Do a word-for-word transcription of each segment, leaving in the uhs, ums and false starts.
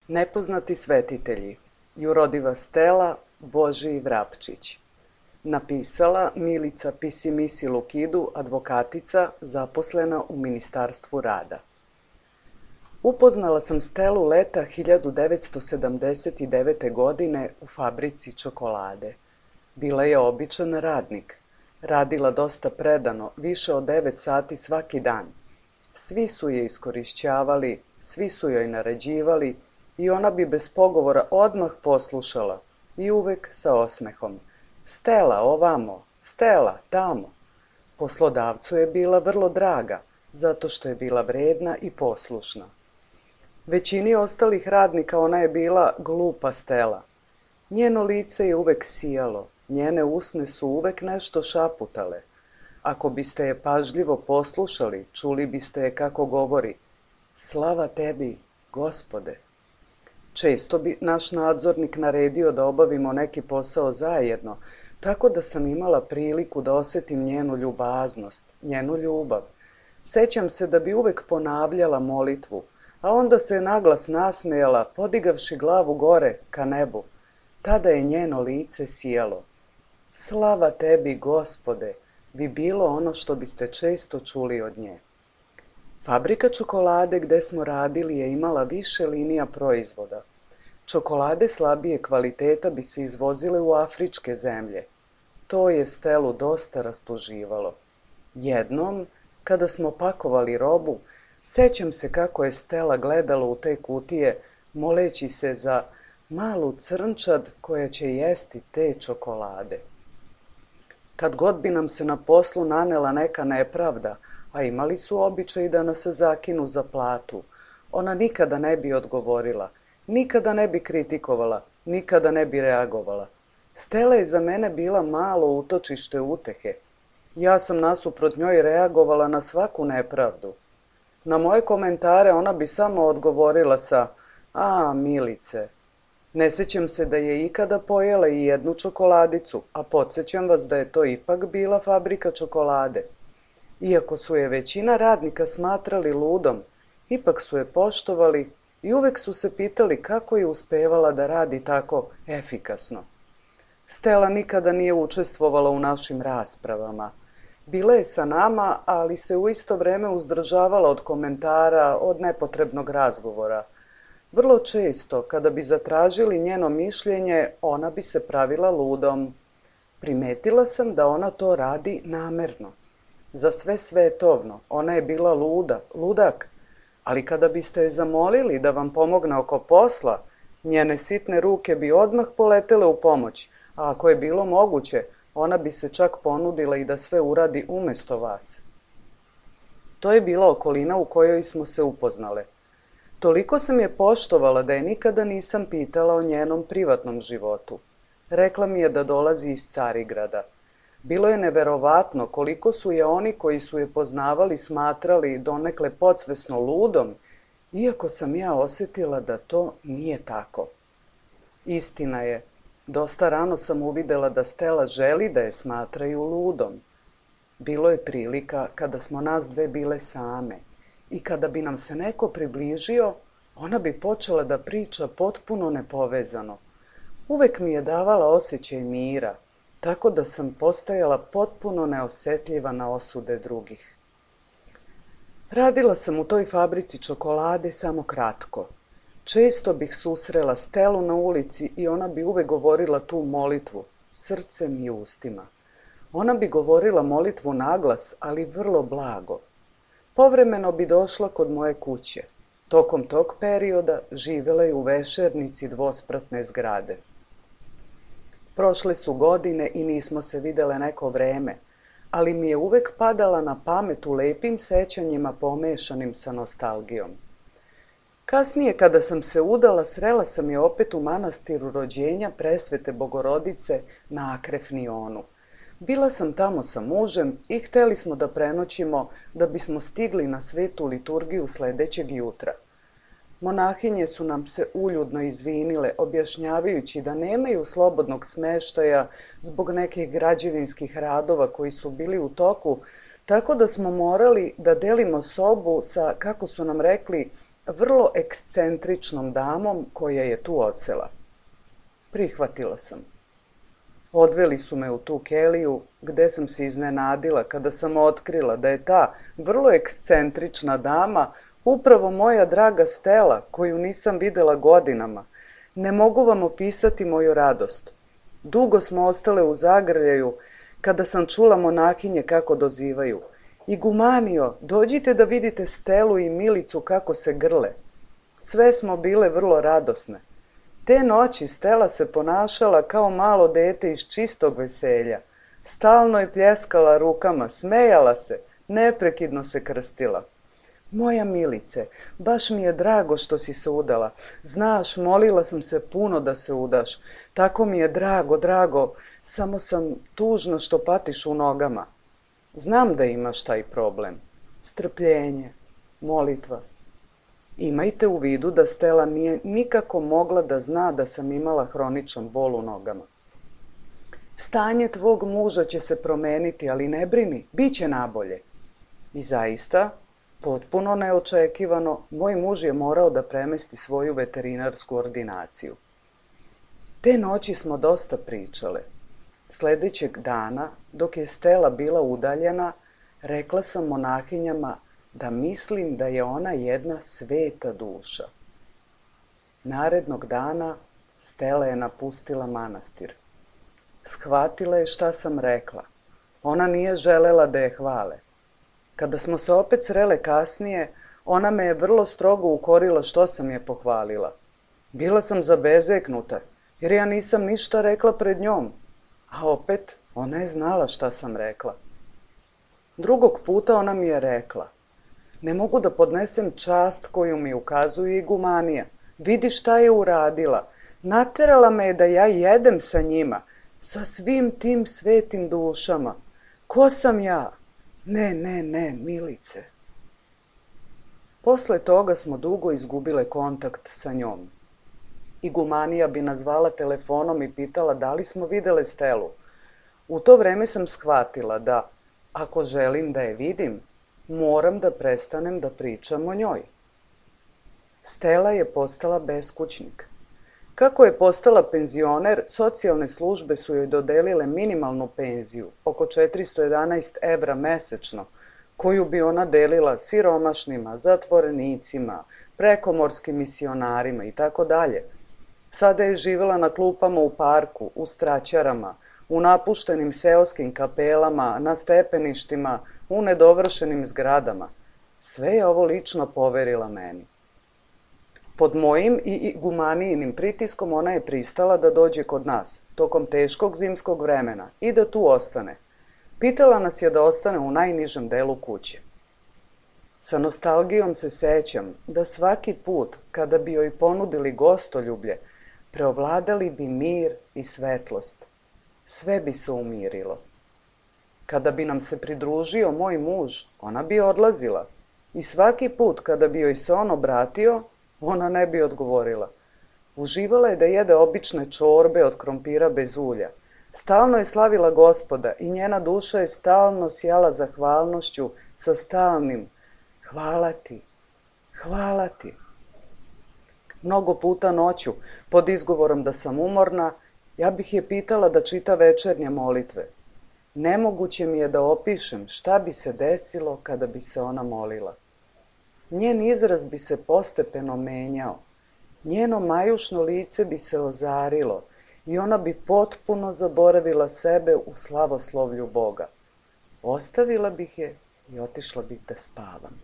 Nepoznati svetitelji. Jurodiva Stela Božiji Vrapčić. Napisala Milica Pisimisi Lukidu, advokatica, zaposlena u Ministarstvu rada. Upoznala sam Stelu leta hiljadu devetsto sedamdeset devete. godine u fabrici čokolade. Bila je običan radnik. Radila dosta predano, više od devet sati svaki dan. Svi su je iskorišćavali, svi su joj naređivali i ona bi bez pogovora odmah poslušala i uvek sa osmehom. Stela, ovamo, Stela, tamo. Poslodavcu je bila vrlo draga, zato što je bila vredna i poslušna. Većini ostalih radnika ona je bila glupa Stela. Njeno lice je uvek sijalo, njene usne su uvek nešto šaputale. Ako biste je pažljivo poslušali, čuli biste je kako govori: slava tebi, Gospode. Često bi naš nadzornik naredio da obavimo neki posao zajedno, tako da sam imala priliku da osetim njenu ljubaznost, njenu ljubav. Sećam se da bi uvek ponavljala molitvu, a onda se naglas nasmejala, podigavši glavu gore ka nebu. Tada je njeno lice sijalo. Slava tebi, Gospode, bi bilo ono što biste često čuli od nje. Fabrika čokolade gde smo radili je imala više linija proizvoda. Čokolade slabije kvaliteta bi se izvozile u afričke zemlje. To je Stelu dosta rastuživalo. Jednom, kada smo pakovali robu, sećam se kako je Stela gledala u te kutije, moleći se za malu crnčad koja će jesti te čokolade. Kad god bi nam se na poslu nanela neka nepravda, a imali su običaj da nas zakinu za platu, ona nikada ne bi odgovorila, nikada ne bi kritikovala, nikada ne bi reagovala. Stela je za mene bila malo utočište utehe. Ja sam nasuprot njoj reagovala na svaku nepravdu. Na moje komentare ona bi samo odgovorila sa: a, Milice. Ne sećam se da je ikada pojela i jednu čokoladicu, a podsjećam vas da je to ipak bila fabrika čokolade. Iako su je većina radnika smatrali ludom, ipak su je poštovali i uvek su se pitali kako je uspevala da radi tako efikasno. Stela nikada nije učestvovala u našim raspravama. Bila je sa nama, ali se u isto vreme uzdržavala od komentara, od nepotrebnog razgovora. Vrlo često, kada bi zatražili njeno mišljenje, ona bi se pravila ludom. Primetila sam da ona to radi namerno. Za sve svetovno, ona je bila luda, ludak, ali kada biste je zamolili da vam pomogne oko posla, njene sitne ruke bi odmah poletele u pomoć, a ako je bilo moguće, ona bi se čak ponudila i da sve uradi umesto vas. To je bila okolina u kojoj smo se upoznale. Toliko sam je poštovala da je nikada nisam pitala o njenom privatnom životu. Rekla mi je da dolazi iz Carigrada. Bilo je neverovatno koliko su je oni koji su je poznavali smatrali donekle podsvesno ludom, iako sam ja osetila da to nije tako. Istina je, dosta rano sam uvidela da Stela želi da je smatraju ludom. Bilo je prilika kada smo nas dve bile same i kada bi nam se neko približio, ona bi počela da priča potpuno nepovezano. Uvek mi je davala osjećaj mira, tako da sam postajala potpuno neosetljiva na osude drugih. Radila sam u toj fabrici čokolade samo kratko. Često bih susrela Stelu na ulici i ona bi uvek govorila tu molitvu, srcem i ustima. Ona bi govorila molitvu naglas, ali vrlo blago. Povremeno bi došla kod moje kuće. Tokom tog perioda živela je u vešernici dvospratne zgrade. Prošle su godine i nismo se videle neko vreme, ali mi je uvek padala na pamet u lepim sećanjima pomešanim sa nostalgijom. Kasnije, kada sam se udala, srela sam je opet u manastiru rođenja Presvete Bogorodice na Akrefnionu. Bila sam tamo sa mužem i hteli smo da prenoćimo da bismo stigli na svetu liturgiju sledećeg jutra. Monahinje su nam se uljudno izvinile, objašnjavajući da nemaju slobodnog smeštaja zbog nekih građevinskih radova koji su bili u toku, tako da smo morali da delimo sobu sa, kako su nam rekli, vrlo ekscentričnom damom koja je tu odsela. Prihvatila sam. Odveli su me u tu keliju, gde sam se iznenadila kada sam otkrila da je ta vrlo ekscentrična dama upravo moja draga Stela, koju nisam videla godinama. Ne mogu vam opisati moju radost. Dugo smo ostale u zagrljaju kada sam čula monahinje kako dozivaju. Igumanio, dođite da vidite Stelu i Milicu kako se grle. Sve smo bile vrlo radosne. Te noći Stela se ponašala kao malo dete iz čistog veselja. Stalno je pljeskala rukama, smejala se, neprekidno se krstila. Moja Milice, baš mi je drago što si se udala. Znaš, molila sam se puno da se udaš. Tako mi je drago, drago, samo sam tužna što patiš u nogama. Znam da imaš taj problem. Strpljenje, molitva. Imajte u vidu da Stela nije nikako mogla da zna da sam imala hroničan bol u nogama. Stanje tvog muža će se promeniti, ali ne brini, bit će nabolje. I zaista, potpuno neočekivano, moj muž je morao da premesti svoju veterinarsku ordinaciju. Te noći smo dosta pričale. Sledećeg dana, dok je Stela bila udaljena, rekla sam monahinjama da mislim da je ona jedna sveta duša. Narednog dana Stela je napustila manastir. Shvatila je šta sam rekla. Ona nije želela da je hvale. Kada smo se opet srele kasnije, ona me je vrlo strogo ukorila što sam je pohvalila. Bila sam zabezeknuta, jer ja nisam ništa rekla pred njom, a opet ona je znala šta sam rekla. Drugog puta ona mi je rekla: ne mogu da podnesem čast koju mi ukazuje igumanija. Vidi šta je uradila. Naterala me je da ja jedem sa njima, sa svim tim svetim dušama. Ko sam ja? Ne, ne, ne, Milice. Posle toga smo dugo izgubile kontakt sa njom. Igumanija bi nas zvala telefonom i pitala da li smo videle Stelu. U to vreme sam shvatila da, ako želim da je vidim, moram da prestanem da pričam o njoj. Stela je postala beskućnik. Kako je postala penzioner, socijalne službe su joj dodelile minimalnu penziju, oko četiristo jedanaest evra mesečno, koju bi ona delila siromašnima, zatvorenicima, prekomorskim misionarima i tako dalje. Sada je živela na klupama u parku, u straćarama, u napuštenim seoskim kapelama, na stepeništima, u nedovršenim zgradama. Sve je ovo lično poverila meni. Pod mojim i igumanijinim pritiskom ona je pristala da dođe kod nas, tokom teškog zimskog vremena, i da tu ostane. Pitala nas je da ostane u najnižem delu kuće. Sa nostalgijom se sećam da svaki put kada bi joj ponudili gostoljublje, preovladali bi mir i svetlost. Sve bi se umirilo. Kada bi nam se pridružio moj muž, ona bi odlazila. I svaki put kada bi joj se on obratio, ona ne bi odgovorila. Uživala je da jede obične čorbe od krompira bez ulja. Stalno je slavila Gospoda i njena duša je stalno sjala zahvalnošću sa stalnim hvala ti, hvala ti. Mnogo puta noću, pod izgovorom da sam umorna, ja bih je pitala da čita večernje molitve. Nemoguće mi je da opišem šta bi se desilo kada bi se ona molila. Njen izraz bi se postepeno menjao. Njeno majušno lice bi se ozarilo i ona bi potpuno zaboravila sebe u slavoslovlju Boga. Ostavila bih je i otišla bih da spavam.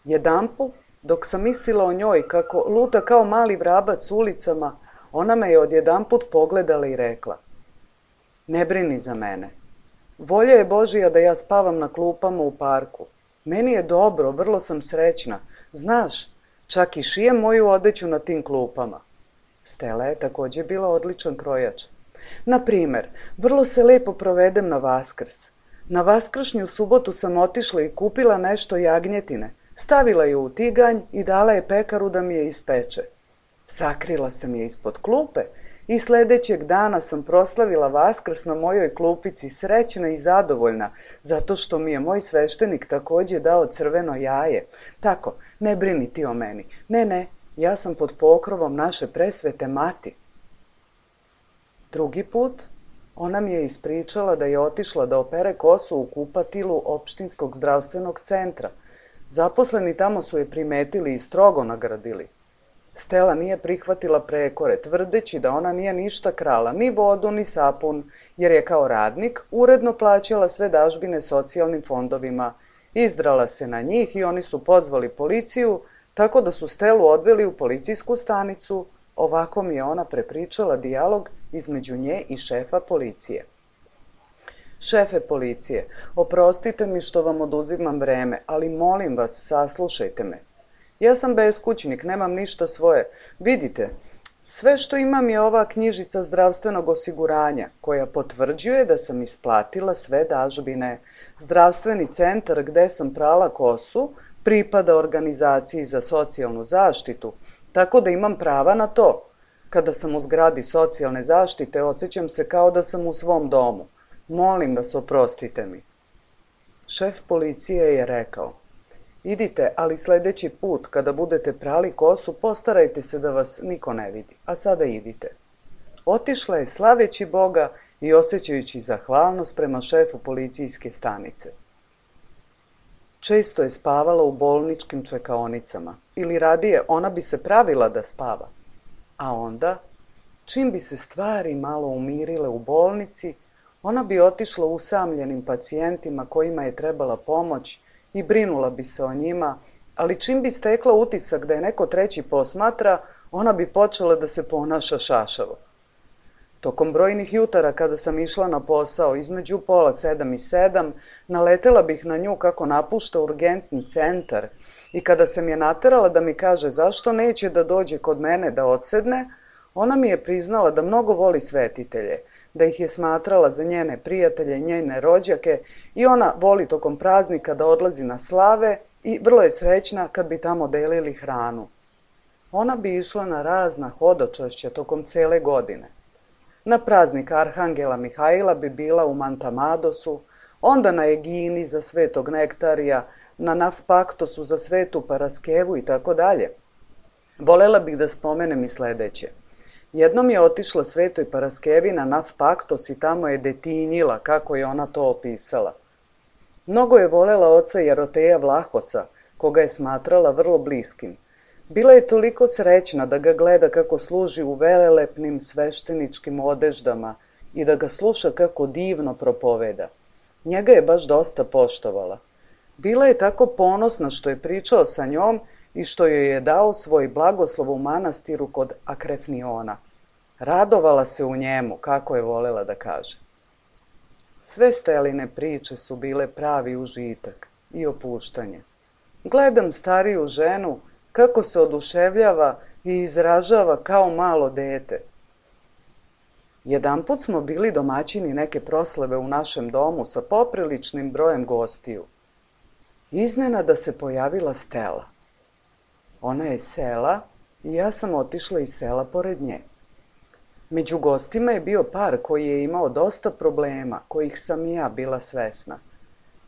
Jedanput, dok sam mislila o njoj kako luta kao mali vrabac ulicama, ona me je odjedanput pogledala i rekla: ne brini za mene. Volja je Božija da ja spavam na klupama u parku. Meni je dobro, vrlo sam srećna. Znaš, čak i šijem moju odeću na tim klupama. Stela je takođe bila odličan krojač. Na primer, vrlo se lepo provedem na Vaskrs. Na vaskršnju subotu sam otišla i kupila nešto jagnjetine. Stavila je u tiganj i dala je pekaru da mi je ispeče. Sakrila sam je ispod klupe i sledećeg dana sam proslavila Vaskrs na mojoj klupici, srećna i zadovoljna, zato što mi je moj sveštenik takođe dao crveno jaje. Tako, Ne brini ti o meni. Ne, ne, ja sam pod pokrovom naše presvete mati. Drugi put ona mi je ispričala da je otišla da opere kosu u kupatilu opštinskog zdravstvenog centra. Zaposleni tamo su je primetili i strogo nagradili. Stela nije prihvatila prekore, tvrdeći da ona nije ništa krala, ni vodu, ni sapun, jer je kao radnik uredno plaćala sve dažbine socijalnim fondovima. Izdrala se na njih i oni su pozvali policiju, tako da su Stelu odveli u policijsku stanicu. Ovako mi je ona prepričala dijalog između nje i šefa policije. Šefe policije, oprostite mi što vam oduzimam vreme, ali molim vas, saslušajte me. Ja sam beskućnik, nemam ništa svoje. Vidite, sve što imam je ova knjižica zdravstvenog osiguranja, koja potvrđuje da sam isplatila sve dažbine. Zdravstveni centar gde sam prala kosu pripada organizaciji za socijalnu zaštitu, tako da imam prava na to. Kada sam u zgradi socijalne zaštite, osjećam se kao da sam u svom domu. Molim vas, oprostite mi. Šef policije je rekao, idite, ali sledeći put kada budete prali kosu, postarajte se da vas niko ne vidi, a sada idite. Otišla je slaveći Boga i osjećajući zahvalnost prema šefu policijske stanice. Često je spavala u bolničkim čekaonicama, ili radije ona bi se pravila da spava. A onda, čim bi se stvari malo umirile u bolnici, ona bi otišla usamljenim pacijentima kojima je trebala pomoć i brinula bi se o njima, ali čim bi stekla utisak da je neko treći posmatra, ona bi počela da se ponaša šašavo. Tokom brojnih jutara kada sam išla na posao između pola sedam i sedam, naletela bih na nju kako napušta urgentni centar i kada sam je naterala da mi kaže zašto neće da dođe kod mene da odsedne, ona mi je priznala da mnogo voli svetitelje, da ih je smatrala za njene prijatelje, njene rođake i ona voli tokom praznika da odlazi na slave i vrlo je srećna kad bi tamo delili hranu. Ona bi išla na razna hodočašća tokom cele godine. Na praznik Arhangela Mihajla bi bila u Mantamadosu, onda na Egini za svetog Nektarija, na Nafpaktosu za svetu Paraskevu i tako dalje. Volela bih da spomenem i sledeće. Jednom je otišla svetoj Paraskevi na Nafpaktos i tamo je detinjila, kako je ona to opisala. Mnogo je volela oca Jaroteja Vlahosa, koga je smatrala vrlo bliskim. Bila je toliko srećna da ga gleda kako služi u velelepnim svešteničkim odeždama i da ga sluša kako divno propoveda. Njega je baš dosta poštovala. Bila je tako ponosna što je pričao sa njom i što joj je dao svoj blagoslov u manastiru kod Akrefniona. Radovala se u njemu, kako je volela da kaže. Sve Steline priče su bile pravi užitak i opuštanje. Gledam stariju ženu kako se oduševljava i izražava kao malo dete. Jedanput smo bili domaćini neke proslave u našem domu sa popriličnim brojem gostiju. Iznenada se pojavila Stela. Ona je sela i ja sam otišla iz sela pored nje. Među gostima je bio par koji je imao dosta problema, kojih sam i ja bila svesna.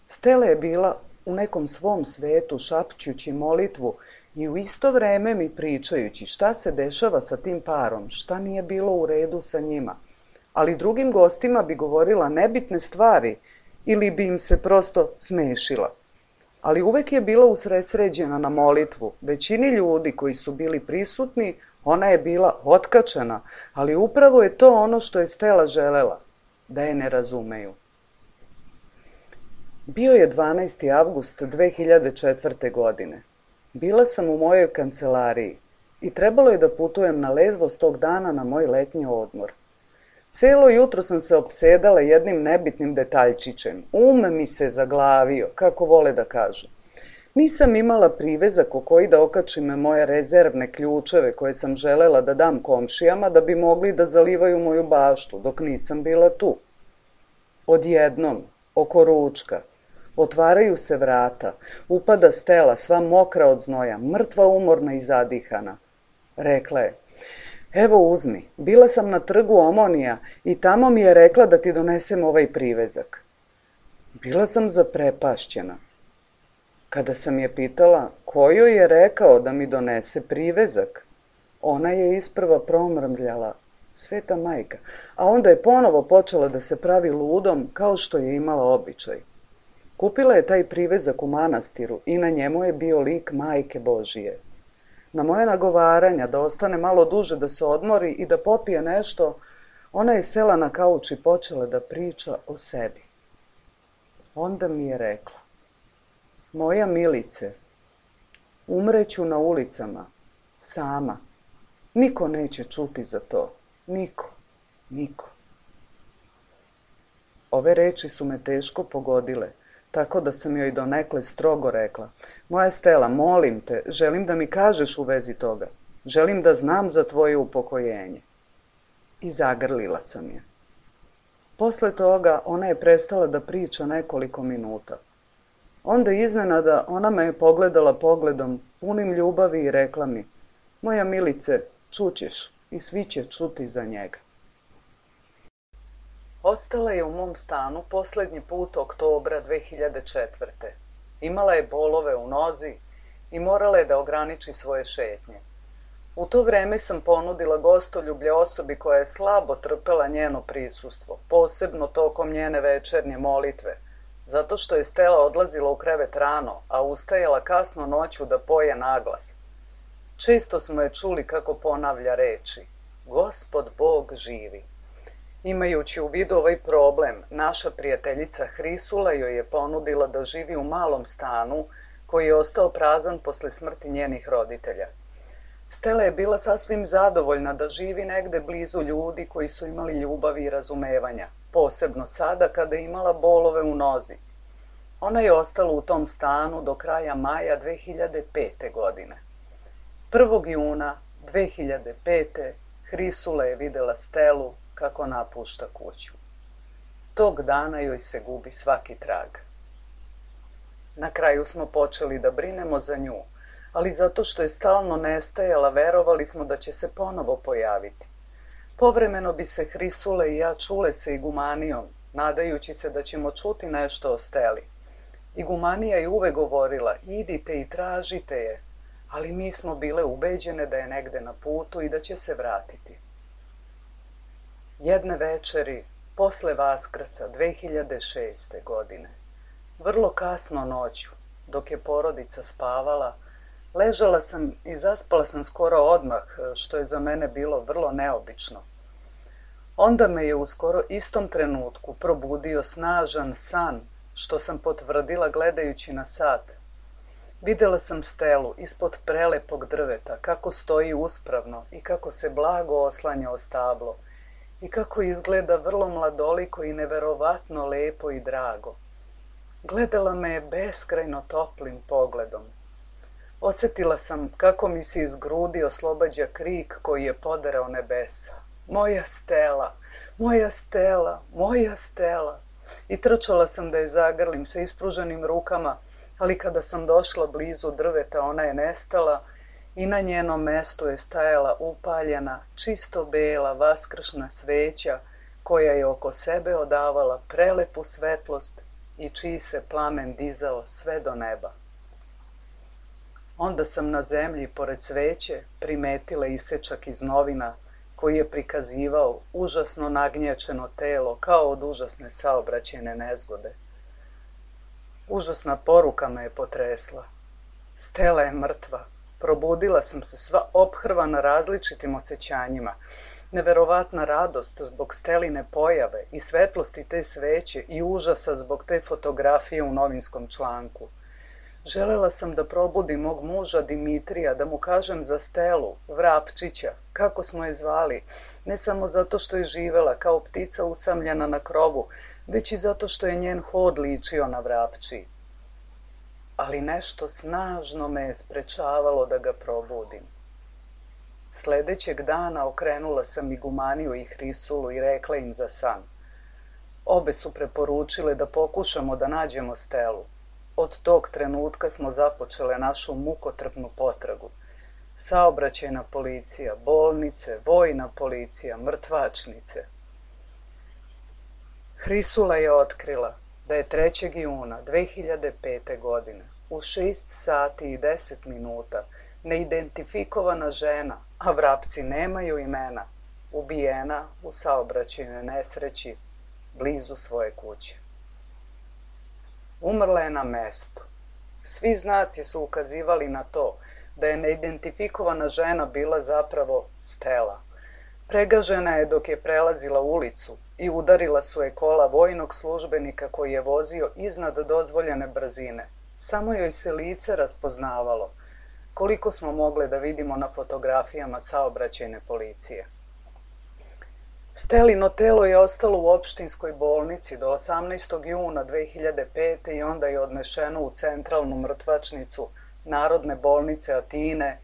Stela je bila u nekom svom svetu šapćući molitvu i u isto vreme mi pričajući šta se dešava sa tim parom, šta nije bilo u redu sa njima. Ali drugim gostima bi govorila nebitne stvari ili bi im se prosto smešila. Ali uvek je bila usredsređena na molitvu. Većini ljudi koji su bili prisutni, ona je bila otkačena, ali upravo je to ono što je Stela želela, da je ne razumeju. Bio je dvanaesti avgust dve hiljade četvrte. godine. Bila sam u mojoj kancelariji i trebalo je da putujem na Lezvos tog dana na moj letnji odmor. Celo jutro sam se opsedala jednim nebitnim detaljčićem. Um mi se zaglavio, kako vole da kažu. Nisam imala privezak u koji da okačim moje rezervne ključeve koje sam želela da dam komšijama da bi mogli da zalivaju moju baštu dok nisam bila tu. Odjednom, oko ručka, otvaraju se vrata, upada Stela sva mokra od znoja, mrtva umorna i zadihana. Rekla je, evo uzmi, bila sam na trgu Omonija i tamo mi je rekla da ti donesem ovaj privezak. Bila sam zaprepašćena. Kada sam je pitala ko joj je rekao da mi donese privezak, ona je isprva promrmljala Sveta majka, a onda je ponovo počela da se pravi ludom kao što je imala običaj. Kupila je taj privezak u manastiru i na njemu je bio lik Majke Božije. Na moje nagovaranja da ostane malo duže da se odmori i da popije nešto, ona je sela na kauč i počela da priča o sebi. Onda mi je rekla: moja Milice, umreću na ulicama, sama. Niko neće čuti za to. Niko, niko. Ove reči su me teško pogodile, tako da sam joj donekle strogo rekla: moja Stela, molim te, želim da mi kažeš u vezi toga. Želim da znam za tvoje upokojenje. I zagrlila sam je. Posle toga ona je prestala da priča nekoliko minuta. Onda iznenada ona me je pogledala pogledom punim ljubavi i rekla mi: moja Milice, čućeš i svi će čuti za njega. Ostala je u mom stanu poslednji put oktobra dve hiljade četvrte. Imala je bolove u nozi i morala je da ograniči svoje šetnje. U to vreme sam ponudila gostoljublje osobi koja je slabo trpela njeno prisustvo, posebno tokom njene večernje molitve, zato što je Stela odlazila u krevet rano, a ustajala kasno noću da poje naglas. Često smo je čuli kako ponavlja reči: Gospod Bog živi. Imajući u vidu ovaj problem, naša prijateljica Hrisula joj je ponudila da živi u malom stanu koji je ostao prazan posle smrti njenih roditelja. Stela je bila sasvim zadovoljna da živi negde blizu ljudi koji su imali ljubavi i razumevanja, posebno sada kada je imala bolove u nozi. Ona je ostala u tom stanu do kraja maja dve hiljade pete. godine. prvog juna dve hiljade pete. Hrisula je videla Stelu kako napušta kuću. Tog dana joj se gubi svaki trag. Na kraju smo počeli da brinemo za nju, ali zato što je stalno nestajala, verovali smo da će se ponovo pojaviti. Povremeno bi se Hrisula i ja čule sa igumanijom, nadajući se da ćemo čuti nešto o Steli. Igumanija je uvek govorila: idite i tražite je, ali mi smo bile ubeđene da je negde na putu i da će se vratiti. Jedne večeri, posle Vaskrsa dve hiljade šeste. godine, vrlo kasno noću, dok je porodica spavala, ležala sam i zaspala sam skoro odmah, što je za mene bilo vrlo neobično. Onda me je u skoro istom trenutku probudio snažan san, što sam potvrdila gledajući na sat. Videla sam Stelu ispod prelepog drveta, kako stoji uspravno i kako se blago oslanja o stablo i kako izgleda vrlo mladoliko i neverovatno lepo i drago. Gledala me je beskrajno toplim pogledom. Osetila sam kako mi se iz grudi oslobađa krik koji je poderao nebesa. Moja Stela, moja Stela, moja Stela. I trčala sam da je zagrlim sa ispruženim rukama, ali kada sam došla blizu drveta, ona je nestala i na njenom mestu je stajala upaljena, čisto bela vaskršna sveća koja je oko sebe odavala prelepu svetlost i čiji se plamen dizao sve do neba. Onda sam na zemlji, pored sveće, primetila isečak iz novina koji je prikazivao užasno nagnječeno telo kao od užasne saobraćajne nezgode. Užasna poruka me je potresla. Stela je mrtva. Probudila sam se sva ophrvana različitim osjećanjima. Neverovatna radost zbog Steline pojave i svetlosti te sveće i užasa zbog te fotografije u novinskom članku. Želela sam da probudim mog muža Dimitrija, da mu kažem za Stelu, Vrapčića, kako smo je zvali, ne samo zato što je živela kao ptica usamljena na krovu, već i zato što je njen hod ličio na vrapčiji. Ali nešto snažno me je sprečavalo da ga probudim. Sledećeg dana okrenula sam igumaniju i Hrisulu i rekla im za san. Obe su preporučile da pokušamo da nađemo Stelu. Od tog trenutka smo započele našu mukotrpnu potragu. Saobraćajna policija, bolnice, vojna policija, mrtvačnice. Hrisula je otkrila da je trećeg juna dve hiljade pete. godine u šest sati i deset minuta neidentifikovana žena, a Vrapci nemaju imena, ubijena u saobraćajnoj nesreći blizu svoje kuće. Umrla je na mestu. Svi znaci su ukazivali na to da je neidentifikovana žena bila zapravo Stela. Pregažena je dok je prelazila ulicu i udarila su je kola vojnog službenika koji je vozio iznad dozvoljene brzine. Samo joj se lice raspoznavalo, koliko smo mogli da vidimo na fotografijama saobraćajne policije. Stelino telo je ostalo u opštinskoj bolnici do osamnaestog juna dve hiljade pete. i onda je odnešeno u centralnu mrtvačnicu Narodne bolnice Atine,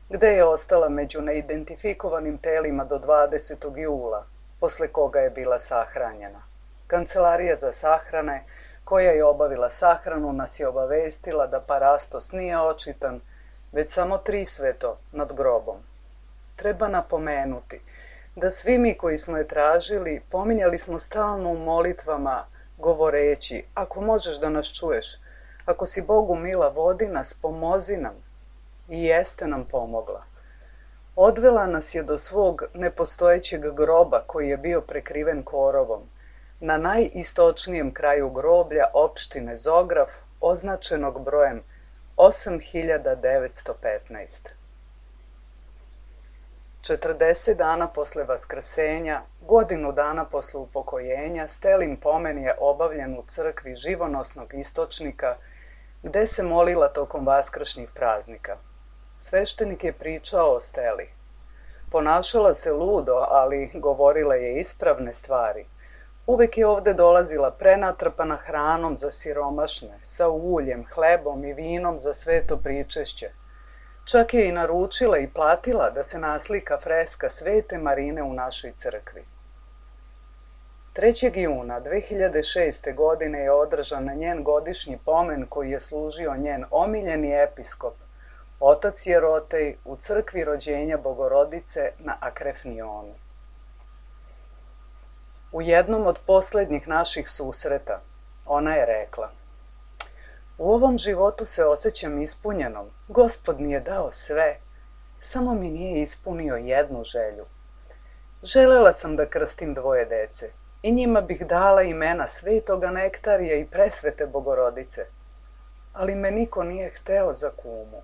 gde je ostala među neidentifikovanim telima do dvadesetog jula, posle koga je bila sahranjena. Kancelarija za sahrane, koja je obavila sahranu, nas je obavestila da parastos nije očitan, već samo trisveto nad grobom. Treba napomenuti da svi mi koji smo je tražili, pominjali smo stalno u molitvama, govoreći: ako možeš da nas čuješ, ako si Bogu mila, vodi nas, pomozi nam. I jeste nam pomogla. Odvela nas je do svog nepostojećeg groba koji je bio prekriven korovom, na najistočnijem kraju groblja opštine Zograf, označenog brojem osam hiljada devetsto petnaest. četrdeset dana posle vaskrsenja, godinu dana posle upokojenja, Stelin pomen je obavljen u crkvi Živonosnog istočnika, gde se molila tokom vaskršnjih praznika. Sveštenik je pričao o Steli. Ponašala se ludo, ali govorila je ispravne stvari. Uvek je ovde dolazila prenatrpana hranom za siromašne, sa uljem, hlebom i vinom za sveto pričešće. Čak je i naručila i platila da se naslika freska Svete Marine u našoj crkvi. trećeg juna dve hiljade šeste. godine je održan njen godišnji pomen koji je služio njen omiljeni episkop, otac Jerotej, u crkvi rođenja Bogorodice na Akrefnionu. U jednom od poslednjih naših susreta ona je rekla: u ovom životu se osjećam ispunjenom, Gospod mi je dao sve, samo mi nije ispunio jednu želju. Želela sam da krstim dvoje dece i njima bih dala imena Svetoga Nektarija i Presvete Bogorodice, ali me niko nije hteo za kumu.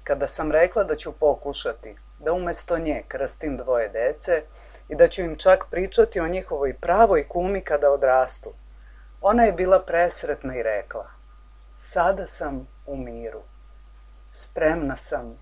Kada sam rekla da ću pokušati da umesto nje krstim dvoje dece i da ću im čak pričati o njihovoj pravoj kumi kada odrastu, ona je bila presretna i rekla: sada sam u miru, spremna sam